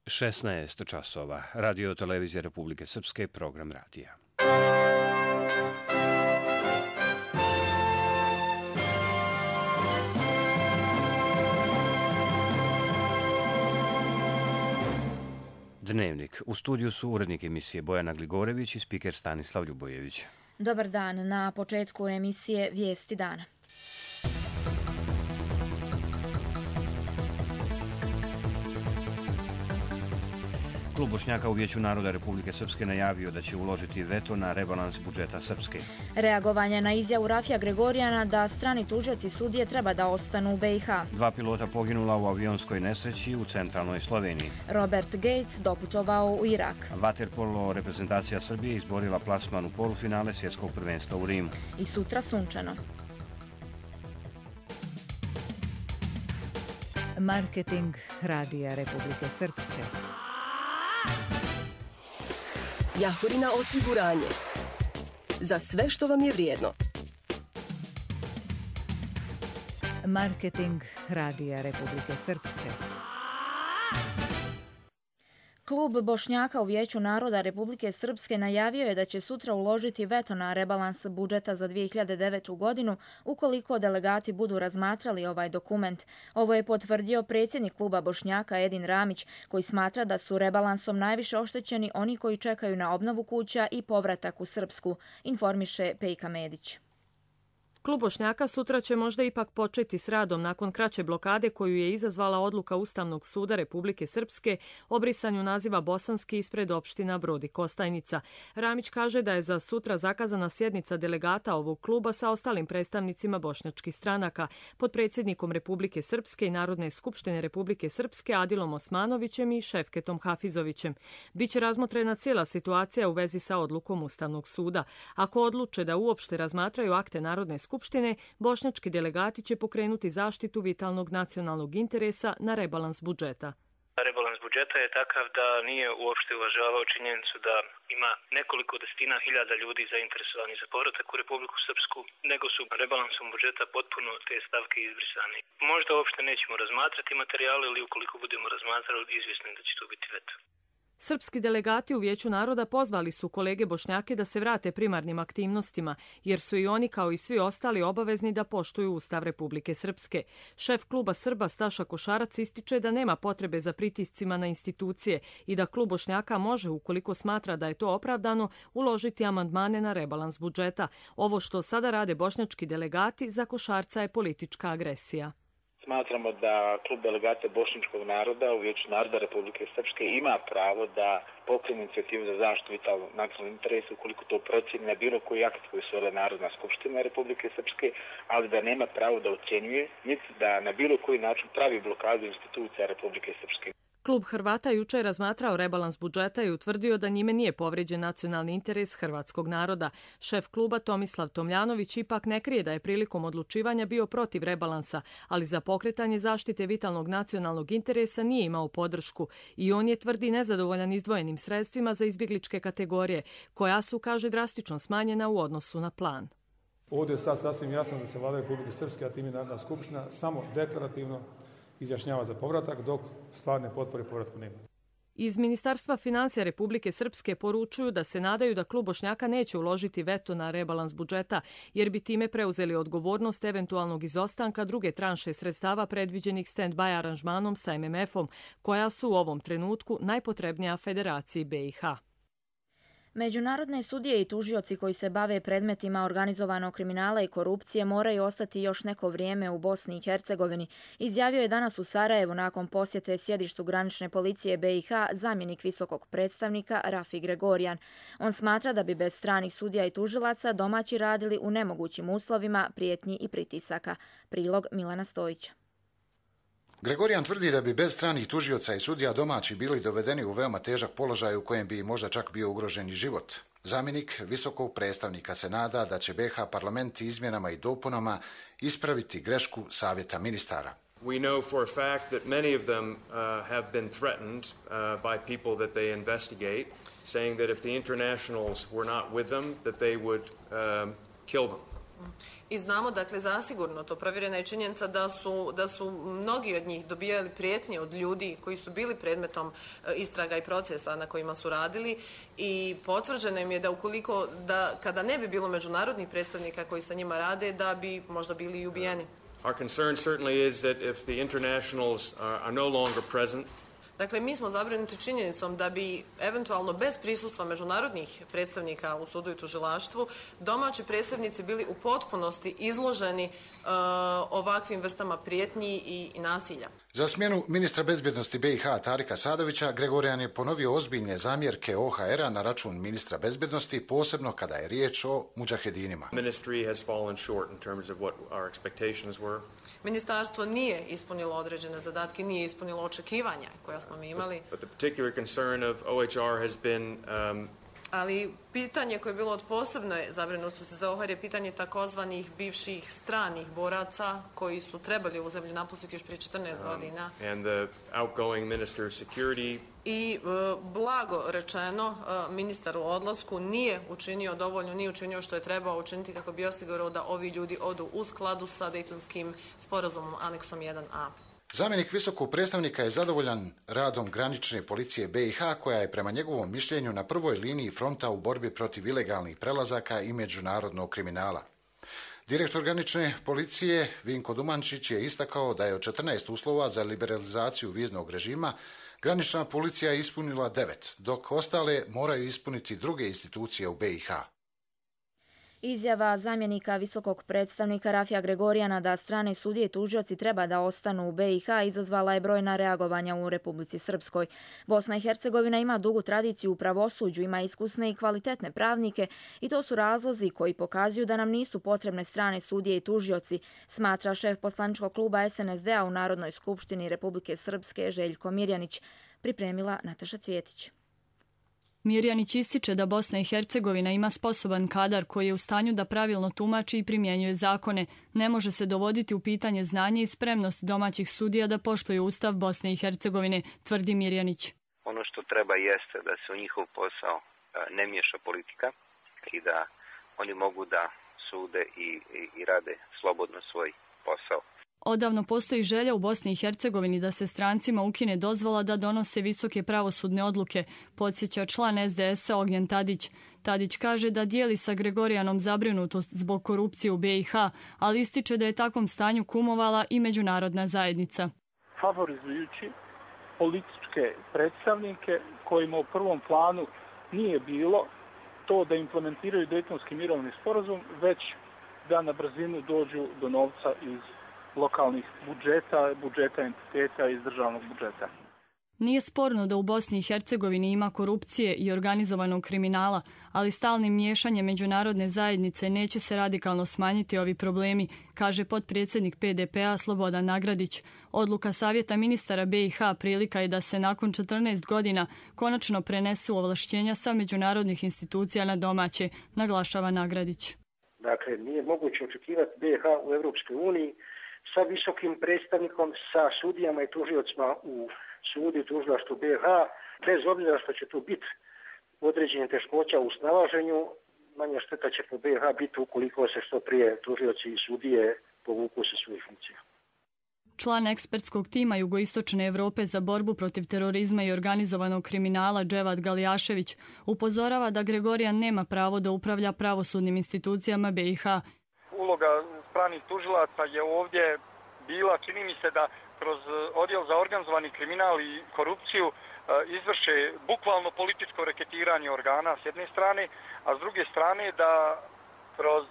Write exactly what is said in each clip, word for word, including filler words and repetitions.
šesnaest časova. Radio televizija Republike Srpske, program radija. Dnevnik. U studiju su urednik emisije Bojana Gligorević i spiker Stanislav Ljubojević. Dobar dan. Na početku emisije Vijesti dana. Klub Bošnjaka u Vijeću naroda Republike Srpske najavio da će uložiti veto na rebalans budžeta Srpske. Reagovanje na izjavu Rafija Gregorijana da strani tužioci sudije treba da ostanu u B i H. Dva pilota poginula u avionskoj nesreći u centralnoj Sloveniji. Robert Gates doputovao u Irak. Vaterpolo reprezentacija Srbije izborila plasman u polufinale svjetskog prvenstva u Rimu. I sutra sunčano. Marketing Radija Republike Srpske. Jahorina osiguranje. Za sve što vam je vrijedno. Marketing Radija Republike Srpske. Klub Bošnjaka u Vijeću naroda Republike Srpske najavio je da će sutra uložiti veto na rebalans budžeta za dvije hiljade devetu. godinu ukoliko delegati budu razmatrali ovaj dokument. Ovo je potvrdio predsjednik kluba Bošnjaka Edin Ramić, koji smatra da su rebalansom najviše oštećeni oni koji čekaju na obnovu kuća i povratak u Srpsku, informiše Pejka Medić. Klub Bošnjaka sutra će možda ipak početi s radom nakon kraće blokade koju je izazvala odluka Ustavnog suda Republike Srpske o brisanju naziva Bosanski ispred opština Brod i Kostajnica. Ramić kaže da je za sutra zakazana sjednica delegata ovog kluba sa ostalim predstavnicima bošnjačkih stranaka, potpredsjednikom Republike Srpske i Narodne skupštine Republike Srpske Adilom Osmanovićem i Šefketom Hafizovićem. Biće razmotrena cijela situacija u vezi sa odlukom Ustavnog suda. Ako odluče da uopšte razmatraju akte Narodne skupštine, Skupštine, bošnjački delegati će pokrenuti zaštitu vitalnog nacionalnog interesa na rebalans budžeta. Rebalans budžeta je takav da nije uopšte uvažavao činjenicu da ima nekoliko desetina hiljada ljudi zainteresovani za povratak u Republiku Srpsku, nego su rebalansom budžeta potpuno te stavke izbrisane. Možda uopšte nećemo razmatrati materijale ili ukoliko budemo razmatrali, izvjesno je da će to biti veto. Srpski delegati u Vijeću naroda pozvali su kolege Bošnjake da se vrate primarnim aktivnostima, jer su i oni kao i svi ostali obavezni da poštuju Ustav Republike Srpske. Šef kluba Srba Staša Košarac ističe da nema potrebe za pritiscima na institucije i da klub Bošnjaka može, ukoliko smatra da je to opravdano, uložiti amandmane na rebalans budžeta. Ovo što sada rade bošnjački delegati za Košarca je politička agresija. Smatramo da klub delegata bošnjačkog naroda u Vijeću naroda Republike Srpske ima pravo da pokrene inicijativu za zaštitu vitalnog nacionalnog interesa ukoliko to procjeni na bilo koji akt koji se zove Narodna skupština Republike Srpske, ali da nema pravo da ocjenjuje, niti da na bilo koji način pravi blokadu institucija Republike Srpske. Klub Hrvata jučer je razmatrao rebalans budžeta i utvrdio da njime nije povrijeđen nacionalni interes hrvatskog naroda. Šef kluba Tomislav Tomljanović ipak ne krije da je prilikom odlučivanja bio protiv rebalansa, ali za pokretanje zaštite vitalnog nacionalnog interesa nije imao podršku i on je, tvrdi, nezadovoljan izdvojenim sredstvima za izbjegličke kategorije, koja su, kaže, drastično smanjena u odnosu na plan. Ovdje je sad sasvim jasno da se Vlada Republike Srpske, a time Narodna skupština, samo deklarativno izjašnjava za povratak, dok stvarne potpore povratku nema. Iz Ministarstva financija Republike Srpske poručuju da se nadaju da klub Bošnjaka neće uložiti veto na rebalans budžeta, jer bi time preuzeli odgovornost eventualnog izostanka druge tranše sredstava predviđenih stand-by aranžmanom sa M M F-om, koja su u ovom trenutku najpotrebnija Federaciji B i H. Međunarodne sudije i tužioci koji se bave predmetima organizovanog kriminala i korupcije moraju ostati još neko vrijeme u Bosni i Hercegovini, izjavio je danas u Sarajevu nakon posjete sjedištu granične policije B i H zamjenik visokog predstavnika Rafi Gregorijan. On smatra da bi bez stranih sudija i tužilaca domaći radili u nemogućim uslovima prijetnji i pritisaka. Prilog Milana Stojića. Gregorijan tvrdi da bi bez stranih tužioca i sudija domaći bili dovedeni u veoma težak položaj u kojem bi možda čak bio ugrožen i život. Zamjenik visokog predstavnika se nada da će B H parlament izmjenama i dopunama ispraviti grešku savjeta ministara. We know for a fact that many of them uh, have been threatened uh, by people that they investigate, saying that if the internationals were not with them, that they would um, kill them. I znamo, dakle, zasigurno, to provjerena je činjenica da su, da su mnogi od njih dobijali prijetnje od ljudi koji su bili predmetom istraga i procesa na kojima su radili i potvrđeno im je da ukoliko, da kada ne bi bilo međunarodnih predstavnika koji sa njima rade, da bi možda bili i ubijeni. Our concern certainly is that if the internationals are no longer present, dakle, mi smo zabrinuti činjenicom da bi eventualno bez prisustva međunarodnih predstavnika u sudu i tužilaštvu domaći predstavnici bili u potpunosti izloženi uh, ovakvim vrstama prijetnji i, i nasilja. Za smjenu ministra bezbjednosti B i H Tarika Sadovića, Gregorijan je ponovio ozbiljne zamjerke O H R-a na račun ministra bezbjednosti, posebno kada je riječ o mudžahedinima. Ministarstvo nije ispunilo određene zadatke, nije ispunilo očekivanja koja smo mi imali. But the particular concern of O H R has been um, ali pitanje koje je bilo od posebne zabrinutosti za O H R je pitanje takozvanih bivših stranih boraca koji su trebali ovu zemlju napustiti još prije četrnaest godina. And the outgoing minister of security. I blago rečeno, ministar u odlasku nije učinio dovoljno, nije učinio što je trebao učiniti kako bi osigurao da ovi ljudi odu u skladu sa Dejtonskim sporazumom aneksom jedan a. Zamjenik visokog predstavnika je zadovoljan radom granične policije B i H koja je prema njegovom mišljenju na prvoj liniji fronta u borbi protiv ilegalnih prelazaka i međunarodnog kriminala. Direktor granične policije Vinko Dumančić je istakao da je od četrnaest uslova za liberalizaciju viznog režima granična policija ispunila devet, dok ostale moraju ispuniti druge institucije u B i H. Izjava zamjenika visokog predstavnika Rafija Gregorijana da strane sudije i tužioci treba da ostanu u B i H izazvala je brojna reagovanja u Republici Srpskoj. Bosna i Hercegovina ima dugu tradiciju u pravosuđu, ima iskusne i kvalitetne pravnike i to su razlozi koji pokazuju da nam nisu potrebne strane sudije i tužioci, smatra šef poslaničkog kluba S N S D-a u Narodnoj skupštini Republike Srpske Željko Mirjanić, pripremila Nataša Cvjetić. Mirjanić ističe da Bosna i Hercegovina ima sposoban kadar koji je u stanju da pravilno tumači i primjenjuje zakone. Ne može se dovoditi u pitanje znanje i spremnost domaćih sudija da poštuju Ustav Bosne i Hercegovine, tvrdi Mirjanić. Ono što treba jeste da se u njihov posao ne miješa politika i da oni mogu da sude i, i, i rade slobodno svoj posao. Odavno postoji želja u Bosni i Hercegovini da se strancima ukine dozvola da donose visoke pravosudne odluke, podsjeća član S D S-a Ognjen Tadić. Tadić kaže da dijeli sa Gregorijanom zabrinutost zbog korupcije u B i H, ali ističe da je takvom stanju kumovala i međunarodna zajednica. Favorizujući političke predstavnike kojima u prvom planu nije bilo to da implementiraju Dejtonski mirovni sporazum, već da na brzinu dođu do novca iz lokalnih budžeta, budžeta entiteta iz državnog budžeta. Nije sporno da u Bosni i Hercegovini ima korupcije i organizovanog kriminala, ali stalnim miješanjem međunarodne zajednice neće se radikalno smanjiti ovi problemi, kaže potpredsjednik P D P-a Slobodan Nagradić. Odluka Savjeta ministara B i H prilika je da se nakon četrnaest godina konačno prenesu ovlašćenja sa međunarodnih institucija na domaće, naglašava Nagradić. Dakle, nije moguće očekivati B i H u Europskoj uniji sa visokim predstavnikom, sa sudijama i tužiocima u sudu i tužilaštvu B i H, bez obzira što će tu biti određene teškoća u snalaženju, manja šteta će po B i H biti ukoliko se što prije tužioci i sudije povuku sa svojih funkcija. Član ekspertskog tima Jugoistočne Evrope za borbu protiv terorizma i organizovanog kriminala Dževad Galjašević upozorava da Gregorijan nema pravo da upravlja pravosudnim institucijama B i H. Uloga stranih tužilaca je ovdje bila, čini mi se, da kroz odjel za organizovani kriminal i korupciju izvrše bukvalno političko reketiranje organa s jedne strane, a s druge strane da kroz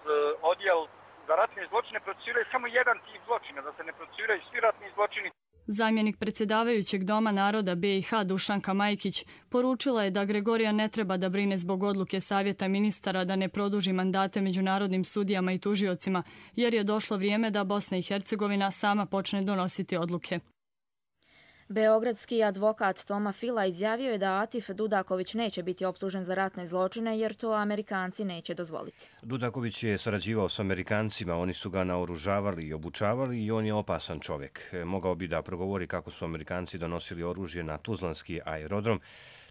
odjel za ratne zločine procesuiraju samo jedan tip zločina, da se ne procesuiraju svi ratni zločini. Zamjenik predsjedavajućeg Doma naroda B i H Dušanka Majkić poručila je da Gregorijan ne treba da brine zbog odluke Savjeta ministara da ne produži mandate međunarodnim sudijama i tužiocima, jer je došlo vrijeme da Bosna i Hercegovina sama počne donositi odluke. Beogradski advokat Toma Fila izjavio je da Atif Dudaković neće biti optužen za ratne zločine jer to Amerikanci neće dozvoliti. Dudaković je sarađivao s Amerikancima, oni su ga naoružavali i obučavali i on je opasan čovjek. Mogao bi da progovori kako su Amerikanci donosili oružje na Tuzlanski aerodrom.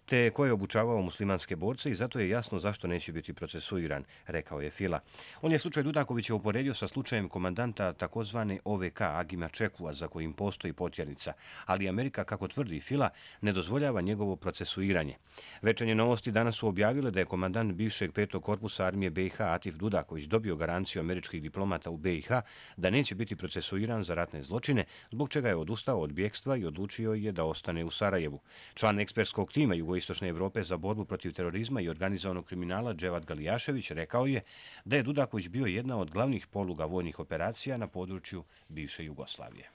te ko je obučavao muslimanske borce i zato je jasno zašto neće biti procesuiran, rekao je Fila. On je slučaj Dudakovića uporedio sa slučajem komandanta takozvane O V K Agima Čekua, za kojim postoji potjernica, ali Amerika, kako tvrdi Fila, ne dozvoljava njegovo procesuiranje. Večernje novosti danas su objavile da je komandant bivšeg petog korpusa armije B i H Atif Dudaković dobio garanciju američkih diplomata u B i H da neće biti procesuiran za ratne zločine, zbog čega je odustao od bjekstva i odlučio je da ostane u Sarajevu. Član ekspertskog tima Jugoistočne Evrope za borbu protiv terorizma i organizovanog kriminala Dževad Galijašević rekao je da je Dudaković bio jedna od glavnih poluga vojnih operacija na području bivše Jugoslavije.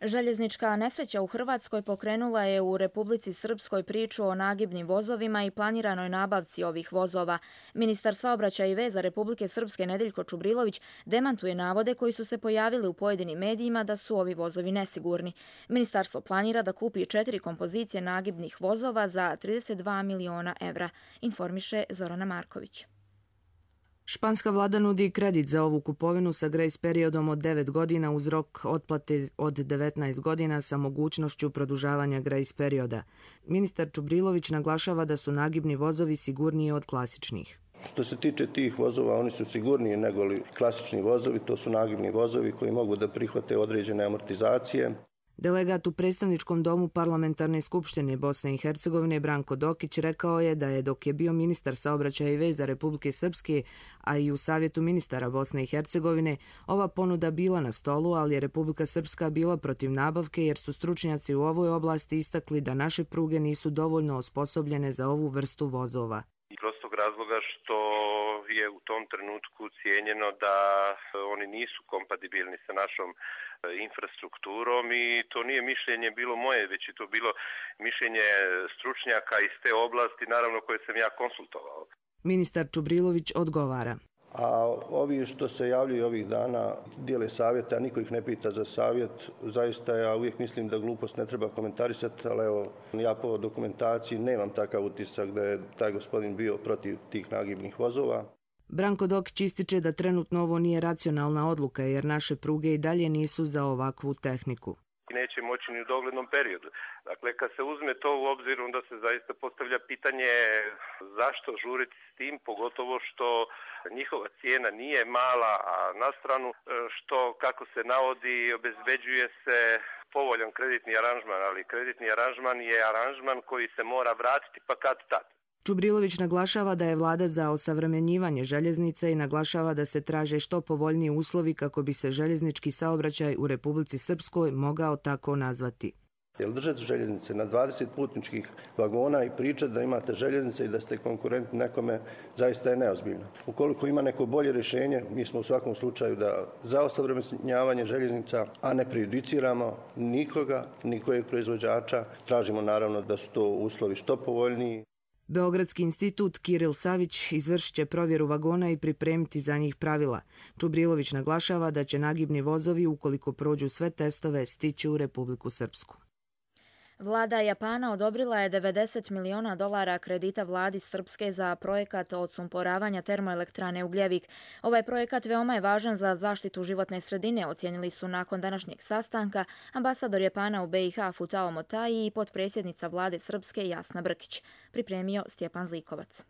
Željeznička nesreća u Hrvatskoj pokrenula je u Republici Srpskoj priču o nagibnim vozovima i planiranoj nabavci ovih vozova. Ministar saobraćaja i veza Republike Srpske Nedeljko Čubrilović demantuje navode koji su se pojavili u pojedinim medijima da su ovi vozovi nesigurni. Ministarstvo planira da kupi četiri kompozicije nagibnih vozova za trideset dva miliona evra, informiše Zorana Marković. Španska vlada nudi kredit za ovu kupovinu sa grace periodom od devet godina uz rok otplate od devetnaest godina sa mogućnošću produžavanja grace perioda. Ministar Čubrilović naglašava da su nagibni vozovi sigurniji od klasičnih. Što se tiče tih vozova, oni su sigurniji nego li klasični vozovi, to su nagibni vozovi koji mogu da prihvate određene amortizacije. Delegat u predstavničkom domu Parlamentarne skupštine Bosne i Hercegovine Branko Dokić rekao je da je dok je bio ministar saobraćaja i veza Republike Srpske, a i u Savjetu ministara Bosne i Hercegovine, ova ponuda bila na stolu, ali je Republika Srpska bila protiv nabavke jer su stručnjaci u ovoj oblasti istakli da naše pruge nisu dovoljno osposobljene za ovu vrstu vozova. Iz prostog razloga što je u tom trenutku cijenjeno da oni nisu kompatibilni sa našom infrastrukturom i to nije mišljenje bilo moje, već je to bilo mišljenje stručnjaka iz te oblasti, naravno koje sam ja konsultovao. Ministar Čubrilović odgovara. A ovi što se javljaju ovih dana dijele savjete, a niko ih ne pita za savjet, zaista ja uvijek mislim da glupost ne treba komentarisati, ali evo, ja po dokumentaciji nemam takav utisak da je taj gospodin bio protiv tih nagibnih vozova. Branko Dokić ističe da trenutno ovo nije racionalna odluka jer naše pruge i dalje nisu za ovakvu tehniku. Neće moći ni u doglednom periodu. Dakle, kad se uzme to u obzir, onda se zaista postavlja pitanje zašto žuriti s tim, pogotovo što njihova cijena nije mala, a na stranu što, kako se navodi, obezbeđuje se povoljan kreditni aranžman, ali kreditni aranžman je aranžman koji se mora vratiti pa kad tad. Čubrilović naglašava da je vlada za osavremenjivanje željeznica i naglašava da se traže što povoljniji uslovi kako bi se željeznički saobraćaj u Republici Srpskoj mogao tako nazvati. Jer držati željeznice na dvadeset putničkih vagona i pričati da imate željeznice i da ste konkurentni nekome zaista je neozbiljno. Ukoliko ima neko bolje rješenje, mi smo u svakom slučaju da za osavremenjavanje željeznica, a ne prejudiciramo nikoga, nikojeg proizvođača, tražimo naravno da su to uslovi što povoljniji. Beogradski institut Kiril Savić izvršit će provjeru vagona i pripremiti za njih pravila. Čubrilović naglašava da će nagibni vozovi, ukoliko prođu sve testove, stići u Republiku Srpsku. Vlada Japana odobrila je devedeset miliona dolara kredita vladi Srpske za projekat odsumporavanja termoelektrane Ugljevik. Ovaj projekat veoma je važan za zaštitu životne sredine, ocijenili su nakon današnjeg sastanka ambasador Japana u B i H Futao Motai i potpredsjednica vlade Srpske Jasna Brkić. Pripremio Stjepan Zlikovac.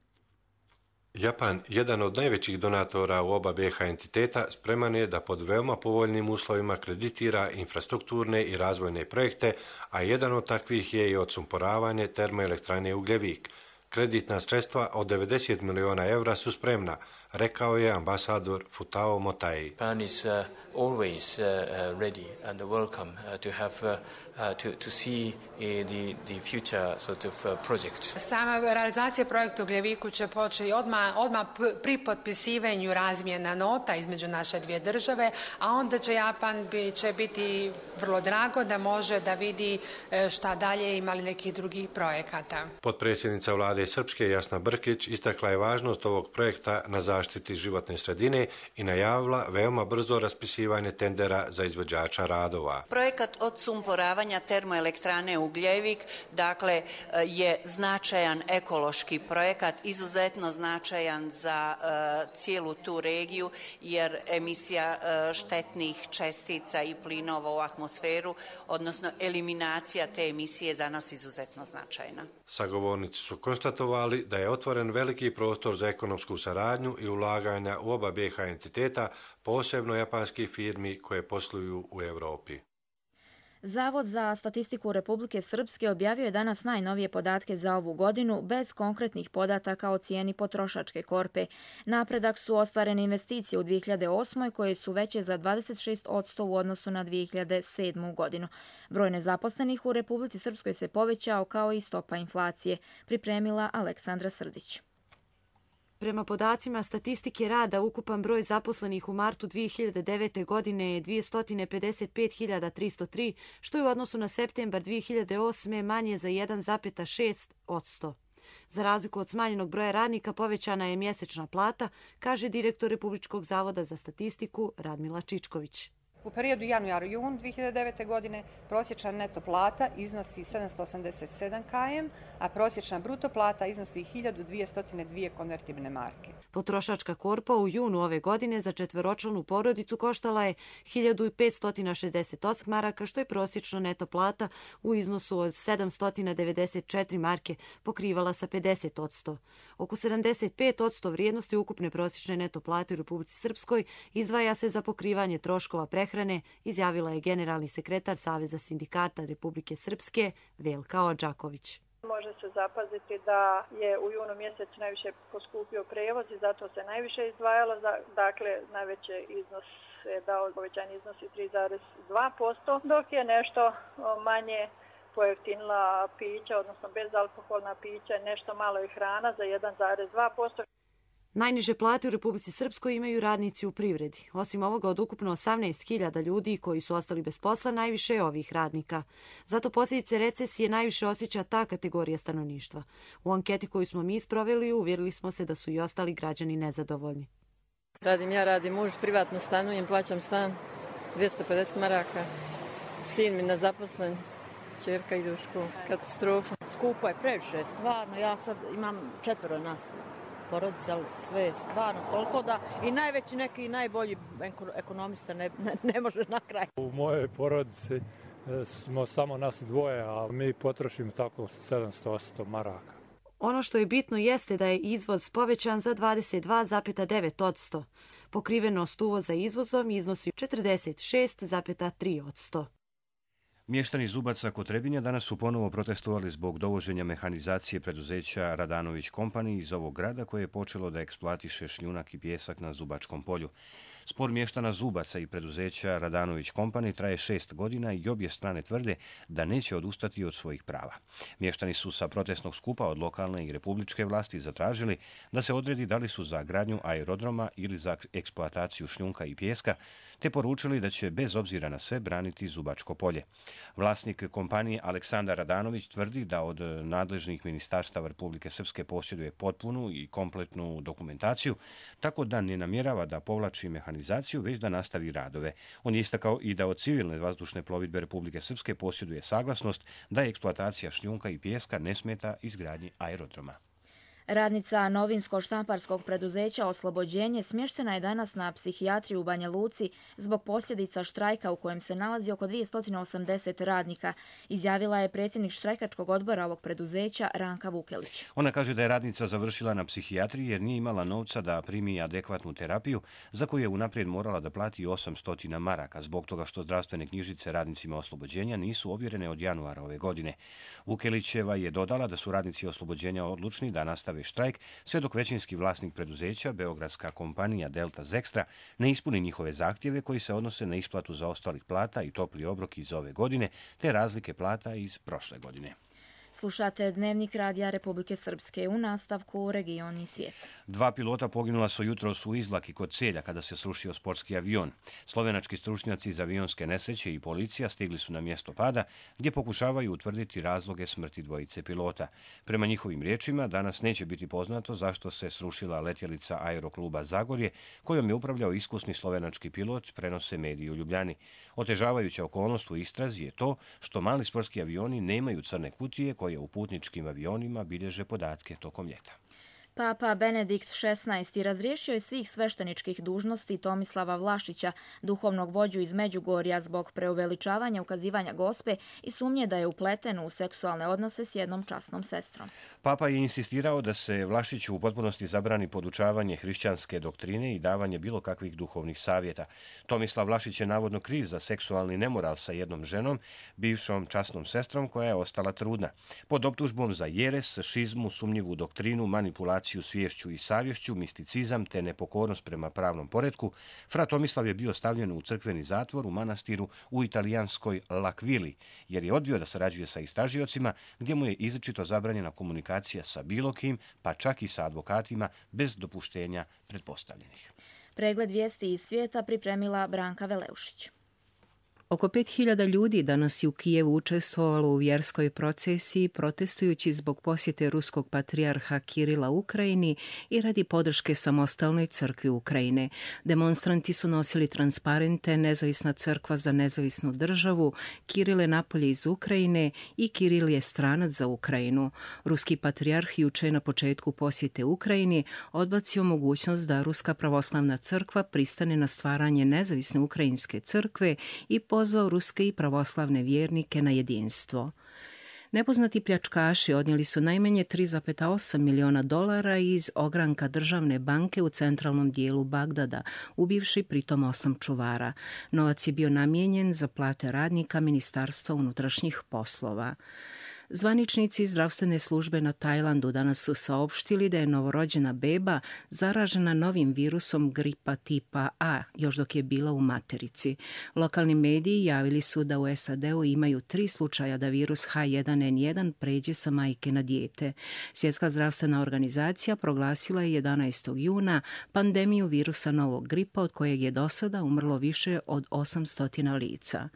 Japan, jedan od najvećih donatora u oba B i H entiteta, spreman je da pod veoma povoljnim uslovima kreditira infrastrukturne i razvojne projekte, a jedan od takvih je i odsumporavanje termoelektrane Ugljevik. Kreditna sredstva od devedeset miliona evra su spremna, rekao je ambasador Futao Motai. Japan is uh, always uh, ready and welcome uh, to have uh, uh, to to see uh, the the future sort of uh, project. Sama realizacija projekta Ugljeviku će početi odmah odmah pri potpisivanju razmjena nota između naše dvije države, a onda će Japan bi, će biti vrlo drago da može da vidi šta dalje imali nekih drugih projekata. Potpredsjednica vlade Srpske Jasna Brkić istakla je važnost ovog projekta na zaštiti životne sredine i najavila veoma brzo raspisivanje tendera za izvođača radova. Projekat odsumporavanja održavanja termoelektrane Ugljevik, dakle je značajan ekološki projekat, izuzetno značajan za cijelu tu regiju, jer emisija štetnih čestica i plinova u atmosferu, odnosno eliminacija te emisije je za nas izuzetno značajna. Sagovornici su konstatovali da je otvoren veliki prostor za ekonomsku saradnju i ulaganja u oba B H entiteta, posebno japanskih firmi koje posluju u Europi. Zavod za statistiku Republike Srpske objavio je danas najnovije podatke za ovu godinu bez konkretnih podataka o cijeni potrošačke korpe. Napredak su ostvarene investicije u dvije hiljade osmoj koje su veće za dvadeset šest posto u odnosu na dvije hiljade sedmu godinu. Broj nezaposlenih u Republici Srpskoj se povećao kao i stopa inflacije, pripremila Aleksandra Srdić. Prema podacima statistike rada, ukupan broj zaposlenih u martu dvije hiljade devete. godine je dvjesto pedeset pet hiljada tristo tri, što je u odnosu na septembar dvije hiljade osme. manje za jedan zarez šest posto. Za razliku od smanjenog broja radnika povećana je mjesečna plata, kaže direktor Republičkog zavoda za statistiku Radmila Čičković. U periodu januar-jun dvije hiljade devete. godine prosječna neto plata iznosi sedamsto osamdeset sedam km, a prosječna bruto plata iznosi hiljadu dvjesto dvije konvertibilne marke. Potrošačka korpa u junu ove godine za četveročlanu porodicu koštala je hiljadu petsto šezdeset osam maraka, što je prosječna neto plata u iznosu od sedamsto devedeset četiri marke pokrivala sa pedeset posto. Oko sedamdeset pet posto vrijednosti ukupne prosječne neto plate u Republici Srpskoj izdvaja se za pokrivanje troškova prehrane, izjavila je generalni sekretar Saveza sindikata Republike Srpske Velka Odžaković. Može se zapaziti da je u junu mjesecu najviše poskupio prevoz i zato se najviše izdvajalo, dakle najveće iznos je dao, povećanje iznosi tri zarez dva posto, dok je nešto manje pojeftinila pića, odnosno bezalkoholna pića, nešto malo i hrana za jedan zarez dva posto. Najniže plate u Republici Srpskoj imaju radnici u privredi. Osim ovoga, od ukupno osamnaest hiljada ljudi koji su ostali bez posla, najviše je ovih radnika. Zato posljedice recesije najviše osjeća ta kategorija stanovništva. U anketi koju smo mi sproveli, uvjerili smo se da su i ostali građani nezadovoljni. Radim ja, radim muž, privatno stanujem, plaćam stan, dvjesto pedeset maraka. Sin mi nezaposlen, ćerka ide u školu. Katastrofa. Skupo je previše, stvarno. Ja sad imam četvero nas porodice, ali sve je stvarno toliko da i najveći neki najbolji ekonomista ne, ne, ne može na kraj. U mojoj porodici smo samo nas dvoje, a mi potrošimo tako sedamsto osamsto maraka. Ono što je bitno jeste da je izvoz povećan za dvadeset dva zarez devet posto. Pokrivenost uvoza izvozom iznosi četrdeset šest zarez tri posto. Mještani Zubaca kod Trebinja danas su ponovo protestovali zbog dovoženja mehanizacije preduzeća Radanović Company iz ovog grada koje je počelo da eksploatiše šljunak i pijesak na Zubačkom polju. Spor mještana Zubaca i preduzeća Radanović Company traje šest godina i obje strane tvrde da neće odustati od svojih prava. Mještani su sa protestnog skupa od lokalne i republičke vlasti zatražili da se odredi da li su za gradnju aerodroma ili za eksploataciju šljunka i pijeska, te poručili da će bez obzira na sve braniti Zubačko polje. Vlasnik kompanije Aleksandar Radanović tvrdi da od nadležnih ministarstava Republike Srpske posjeduje potpunu i kompletnu dokumentaciju, tako da ne namjerava da povlači mehanizaciju, već da nastavi radove. On je istakao i da od civilne vazdušne plovidbe Republike Srpske posjeduje saglasnost da eksploatacija šljunka i pijeska ne smeta izgradnji aerodroma. Radnica novinsko-štamparskog preduzeća Oslobođenje smještena je danas na psihijatriju u Banja Luci zbog posljedica štrajka u kojem se nalazi oko dvjesto osamdeset radnika, izjavila je predsjednik štrajkačkog odbora ovog preduzeća Ranka Vukelić. Ona kaže da je radnica završila na psihijatriji jer nije imala novca da primi adekvatnu terapiju za koju je unaprijed morala da plati osamsto maraka zbog toga što zdravstvene knjižice radnicima Oslobođenja nisu ovjerene od januara ove godine. Vukelićeva je dodala da su radnici Oslobođenja odlučni da nastave štrajk sve dok većinski vlasnik preduzeća, beogradska kompanija Delta Zextra, ne ispuni njihove zahtjeve koji se odnose na isplatu zaostalih plata i topli obrok iz ove godine, te razlike plata iz prošle godine. Slušate Dnevnik radija Republike Srpske, u nastavku Region i svijet. Dva pilota poginula su jutros u Izlaki kod Celja kada se srušio sportski avion. Slovenački stručnjaci iz avionske nesreće i policija stigli su na mjesto pada gdje pokušavaju utvrditi razloge smrti dvojice pilota. Prema njihovim riječima, danas neće biti poznato zašto se srušila letjelica Aerokluba Zagorje, kojom je upravljao iskusni slovenački pilot, prenose mediji u Ljubljani. Otežavajuća okolnost u istrazi je to što mali sportski avioni nemaju crne kutije koje u putničkim avionima bilježe podatke tokom ljeta. Papa Benedikt šesnaesti razriješio je svih svešteničkih dužnosti Tomislava Vlašića, duhovnog vođu iz Međugorja, zbog preuveličavanja ukazivanja Gospe i sumnje da je upleten u seksualne odnose s jednom časnom sestrom. Papa je insistirao da se Vlašiću u potpunosti zabrani podučavanje hrišćanske doktrine i davanje bilo kakvih duhovnih savjeta. Tomislav Vlašić je navodno kriv za seksualni nemoral sa jednom ženom, bivšom časnom sestrom koja je ostala trudna. Pod optužbom za jeres, šizmu, sumnjivu doktrinu, manipulaciju sviješću i savješću, misticizam te nepokornost prema pravnom poretku, fra Tomislav je bio stavljen u crkveni zatvor u manastiru u italijanskoj L'Aquili, jer je odbio da sarađuje sa istražiocima, gdje mu je izričito zabranjena komunikacija sa bilo kim, pa čak i sa advokatima, bez dopuštenja pretpostavljenih. Pregled vijesti iz svijeta pripremila Branka Veleušić. Oko pet hiljada ljudi danas je u Kijevu učestvovalo u vjerskoj procesiji protestujući zbog posjete ruskog patrijarha Kirila Ukrajini i radi podrške samostalnoj crkvi Ukrajine. Demonstranti su nosili transparente Nezavisna crkva za nezavisnu državu, Kiril je napolje iz Ukrajine i Kiril je stranac za Ukrajinu. Ruski patrijarh juče je na početku posjete Ukrajini odbacio mogućnost da Ruska pravoslavna crkva pristane na stvaranje nezavisne ukrajinske crkve i pozvao ruske i pravoslavne vjernike na jedinstvo. Nepoznati pljačkaši odnijeli su najmanje tri zarez osam miliona dolara iz ogranka državne banke u centralnom dijelu Bagdada, ubivši pritom osam čuvara. Novac je bio namijenjen za plate radnika Ministarstva unutrašnjih poslova. Zvaničnici zdravstvene službe na Tajlandu danas su saopštili da je novorođena beba zaražena novim virusom gripa tipa A, još dok je bila u materici. Lokalni mediji javili su da u S A D-u imaju tri slučaja da virus H jedan N jedan pređe sa majke na dijete. Svjetska zdravstvena organizacija proglasila je jedanaestog juna pandemiju virusa novog gripa od kojeg je do sada umrlo više od osamsto lica.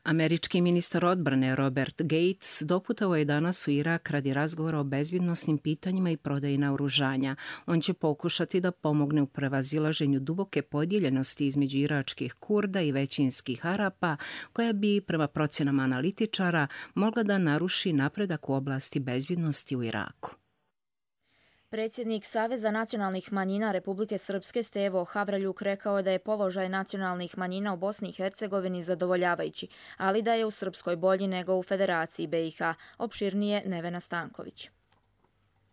Američki ministar odbrane Robert Gates doputovao je danas u Irak radi razgovora o bezbjednosnim pitanjima i prodaji naoružanja. On će pokušati da pomogne u prevazilaženju duboke podijeljenosti između iračkih Kurda i većinskih Arapa, koja bi, prema procjenama analitičara, mogla da naruši napredak u oblasti bezbjednosti u Iraku. Predsjednik Saveza nacionalnih manjina Republike Srpske Stevo Havraljuk rekao da je položaj nacionalnih manjina u Bosni i Hercegovini zadovoljavajući, ali da je u Srpskoj bolji nego u Federaciji B i H. Opširnije Nevena Stanković.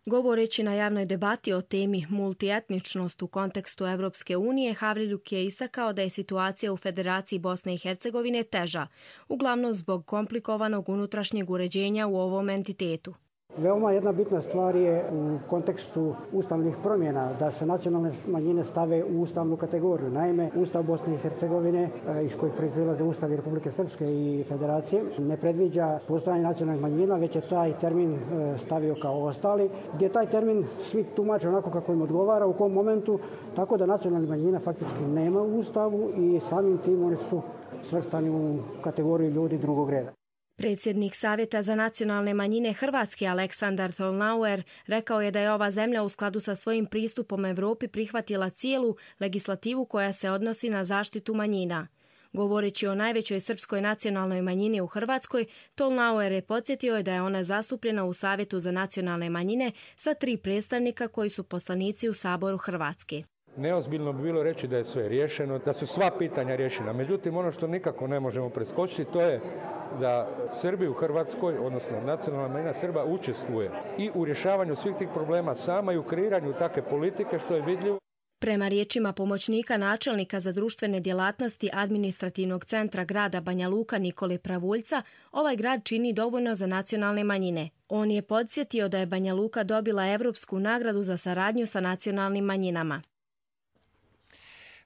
Govoreći na javnoj debati o temi multietničnost u kontekstu Evropske unije, Havraljuk je istakao da je situacija u Federaciji Bosne i Hercegovine teža, uglavnom zbog komplikovanog unutrašnjeg uređenja u ovom entitetu. Veoma jedna bitna stvar je u kontekstu ustavnih promjena da se nacionalne manjine stave u ustavnu kategoriju. Naime, Ustav Bosne i Hercegovine, iz kojeg proizilaze Ustavi Republike Srpske i Federacije, ne predviđa postojanje nacionalnih manjina, već je taj termin stavio kao ostali, gdje taj termin svi tumače onako kako im odgovara, u kom momentu, tako da nacionalnih manjina faktički nema u Ustavu i samim tim oni su svrstani u kategoriju ljudi drugog reda. Predsjednik Savjeta za nacionalne manjine Hrvatske Aleksandar Tolnauer rekao je da je ova zemlja u skladu sa svojim pristupom Evropi prihvatila cijelu legislativu koja se odnosi na zaštitu manjina. Govoreći o najvećoj srpskoj nacionalnoj manjini u Hrvatskoj, Tolnauer je podsjetio da je ona zastupljena u Savjetu za nacionalne manjine sa tri predstavnika koji su poslanici u Saboru Hrvatske. Neozbiljno bi bilo reći da je sve riješeno, da su sva pitanja riješena. Međutim, ono što nikako ne možemo preskočiti, to je da Srbi u Hrvatskoj, odnosno nacionalna manjina Srba, učestvuje i u rješavanju svih tih problema sama i u kreiranju takve politike, što je vidljivo. Prema riječima pomoćnika načelnika za društvene djelatnosti administrativnog centra grada Banja Luka Nikole Pravuljca, ovaj grad čini dovoljno za nacionalne manjine. On je podsjetio da je Banja Luka dobila Evropsku nagradu za saradnju sa nacionalnim manjinama.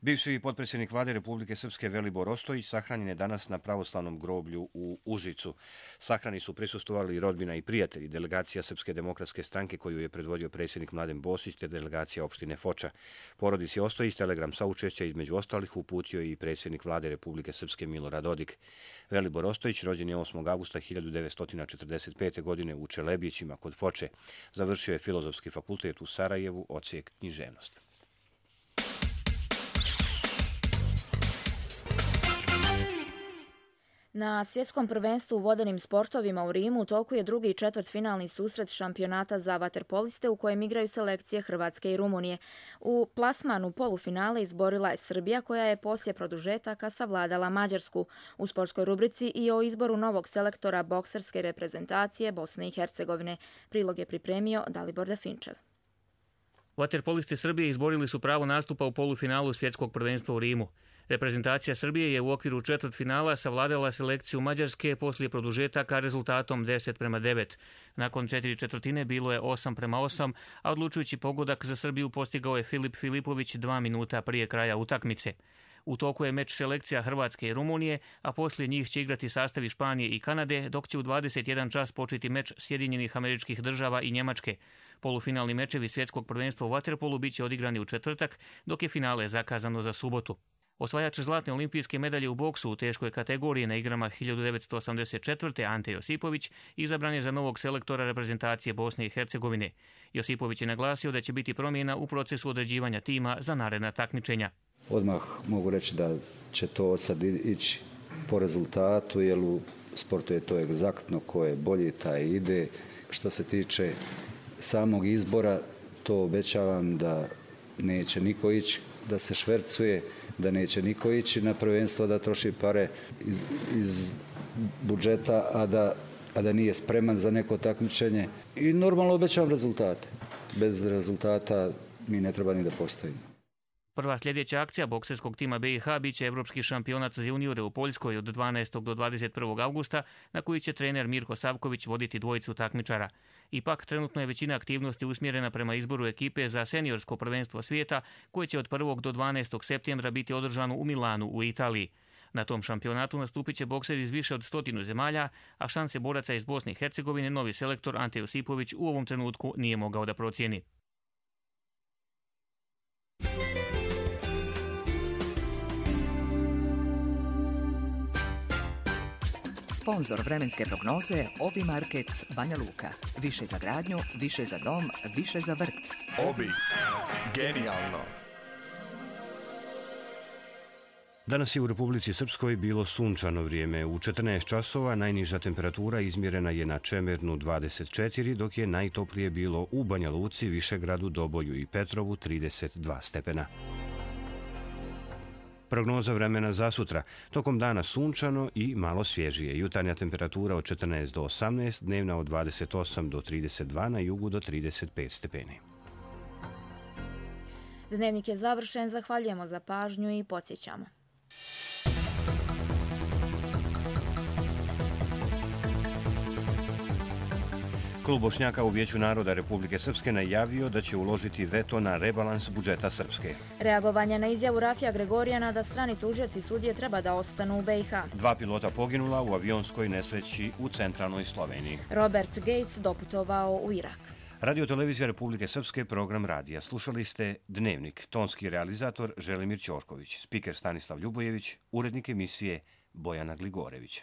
Bivši potpredsjednik vlade Republike Srpske Velibor Ostojić sahranjen je danas na pravoslavnom groblju u Užicu. Sahrani su prisustvovali rodbina i prijatelji, delegacija Srpske demokratske stranke koju je predvodio predsjednik Mladen Bosić te delegacija opštine Foča. Porodici Ostojić telegram saučešća između ostalih uputio i predsjednik vlade Republike Srpske Milorad Dodik. Velibor Ostojić rođen je osmog avgusta hiljadu devetsto četrdeset pete. godine u Čelebićima kod Foče. Završio je Filozofski fakultet u Sarajevu, odsjek književnost. Na svjetskom prvenstvu u vodenim sportovima u Rimu u toku je drugi i četvrtfinalni susret šampionata za vaterpoliste u kojem igraju selekcije Hrvatske i Rumunije. U plasmanu polufinale izborila je Srbija koja je poslije produžetaka savladala Mađarsku. U sportskoj rubrici i o izboru novog selektora bokserske reprezentacije Bosne i Hercegovine. Prilog je pripremio Dalibor Definčev. Vaterpolisti Srbije izborili su pravo nastupa u polufinalu svjetskog prvenstva u Rimu. Reprezentacija Srbije je u okviru četvrtfinala savladala selekciju Mađarske poslije produžetaka rezultatom deset prema devet. Nakon četiri četvrtine bilo je osam prema osam, a odlučujući pogodak za Srbiju postigao je Filip Filipović dva minuta prije kraja utakmice. U toku je meč selekcija Hrvatske i Rumunije, a poslije njih će igrati sastavi Španije i Kanade, dok će u dvadeset jedan čas početi meč Sjedinjenih Američkih Država i Njemačke. Polufinalni mečevi svjetskog prvenstva u vaterpolu biće odigrani u četvrtak, dok je finale zakazano za subotu. Osvajač zlatne olimpijske medalje u boksu u teškoj kategoriji na igrama hiljadu devetsto osamdeset četvrte. Ante Josipović izabran je za novog selektora reprezentacije Bosne i Hercegovine. Josipović je naglasio da će biti promjena u procesu određivanja tima za naredna takmičenja. Odmah mogu reći da će to od sad ići po rezultatu, jer u sportu je to egzaktno, ko je bolji taj ide. Što se tiče samog izbora, to obećavam da neće niko ići da se švercuje, da neće niko ići na prvenstvo da troši pare iz, iz budžeta, a da, a da nije spreman za neko takmičenje. I normalno obećavam rezultate. Bez rezultata mi ne treba ni da postojimo. Prva sljedeća akcija bokserskog tima B i H biće Evropski šampionat za juniore u Poljskoj od dvanaestog do dvadeset prvog avgusta, na koji će trener Mirko Savković voditi dvojicu takmičara. Ipak, trenutno je većina aktivnosti usmjerena prema izboru ekipe za seniorsko prvenstvo svijeta, koje će od prvog do dvanaestog septembra biti održano u Milanu u Italiji. Na tom šampionatu nastupit će bokseri iz više od stotinu zemalja, a šanse boraca iz Bosne i Hercegovine novi selektor Ante Josipović u ovom trenutku nije mogao da procijeni. Sponzor vremenske prognoze Obi Market Banja Luka. Više za gradnju, više za dom, više za vrt. Obi. Genijalno. Danas je u Republici Srpskoj bilo sunčano vrijeme. U četrnaest časova najniža temperatura izmjerena je na Čemernu dvadeset četiri, dok je najtoplije bilo u Banja Luci, Višegradu, Doboju i Petrovu trideset dva stepena. Prognoza vremena za sutra. Tokom dana sunčano i malo svježije. Jutarnja temperatura od četrnaest do osamnaest, dnevna od dvadeset osam do trideset dva, na jugu do trideset pet stepeni. Dnevnik je završen, zahvaljujemo za pažnju i podsjećamo. Klub Bošnjaka u Vijeću naroda Republike Srpske najavio da će uložiti veto na rebalans budžeta Srpske. Reagovanje na izjavu Rafija Gregorijana da strani tužioci sudije treba da ostanu u B i H. Dva pilota poginula u avionskoj nesreći u centralnoj Sloveniji. Robert Gates doputovao u Irak. Radio Televizija Republike Srpske, program radija. Slušali ste Dnevnik, tonski realizator Želimir Ćorković, spiker Stanislav Ljubojević, urednik emisije Bojana Gligorević.